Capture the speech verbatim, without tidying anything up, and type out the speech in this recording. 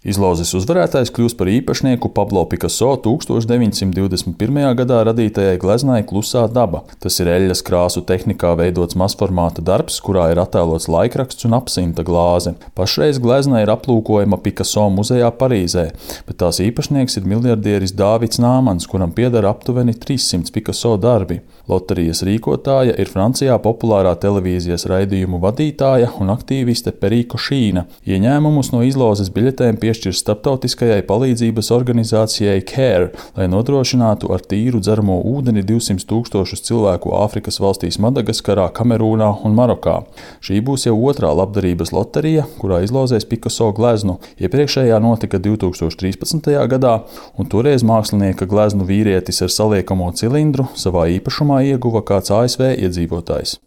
Izlozes uzvarētājs kļūs par īpašnieku Pablo Picasso tūkstoš deviņsimt divdesmit pirmajā gadā radītajai gleznai Klusā daba. Tas ir eļļas krāsu tehnikā veidots mazformāta darbs, kurā ir attēlots laikraksts un apsimta glāze. Pašreiz glezna ir aplūkojama Picasso muzejā Parīzē, bet tās īpašnieks ir miljardieris Dāvids Nāmans, kuram pieder aptuveni trīssimts Picasso darbi. Loterijas rīkotāja ir Francijā populārā televīzijas raidījumu vadītāja un aktīviste Periko Šīna. Ieņēmumus no izlozes biļetēm piešķirs starptautiskajai palīdzības organizācijai CARE, lai nodrošinātu ar tīru dzeramo ūdeni divsimt tūkstošus cilvēku Āfrikas valstīs Madagaskarā, Kamerūnā un Marokā. Šī būs jau otrā labdarības loterija, kurā izlozēs Picasso gleznu. Iepriekšējā notika divtūkstoš trīspadsmitajā gadā, un toreiz mākslinieka gleznu vīrietis ar saliekamo cilindru savā īpašumā ieguva kāds A S V iedzīvotājs.